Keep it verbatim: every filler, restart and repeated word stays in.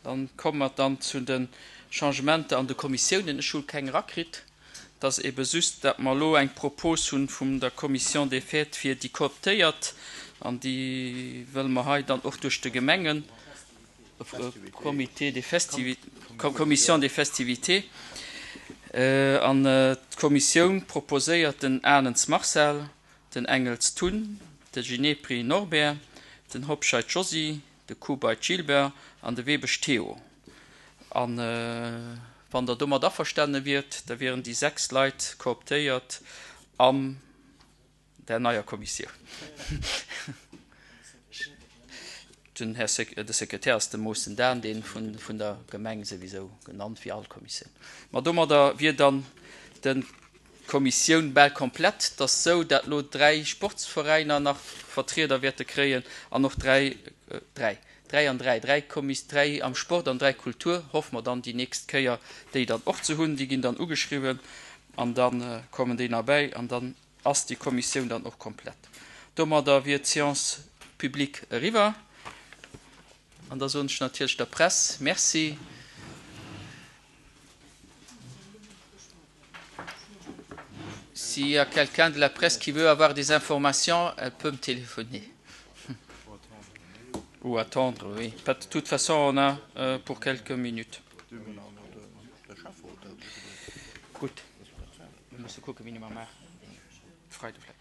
Dann komme mer dann zu de Changementer an de Kommissiounen. Ech hu keng erakritt. Et ass ebe just, dat mer elo eng Propos hu vun der Commission des Fêtes fir déi Kooptéiert, an déi wëlle mer hei dann och duerch de Gemengen Comité des festivi Commission des festivités. An d'Kommissioun proposéiert den Ahnens Marcel, den Engels Tun, de Ginepri Norbert, den Hobscheit Josy, de Kubait Gilbert an de Webesch Théo. An wann Der domat averstane wiert, da wieren déi sechs Leit kooptéiert an der neier Kommissioun. Den Här de Sekretär ass de Moossen Dan, dee vun der Gemeng souwisou genannt wéi all Kommissioun. Ma domadder wier dann d'Kommissioun bal komplett. Et ass sou, dat elo dräi Sportsveräiner nach Vertrieder wäerte kréien an och dräi, dräi, dräi an dräi, dräi Kommis, dräi am Sport an dräi Kultur, hoffe mer dann déi nächst Kéier déi dann och ze hunn. Déi ginn dann ugeschriwwen an da kommen déi nach bäi an dann ass déi Kommissioun dann och komplett. Domadder wier d'Séance publique eriwwer. An da soen ech natierlech der Press Merci. S'il y a quelqu'un de la presse qui veut avoir des informations, elle peut me téléphoner. Ou attendre, oui. De toute façon, on a euh, pour quelques minutes. Gutt. Mir musse kucken, wéi mir maachen. Freide vläicht.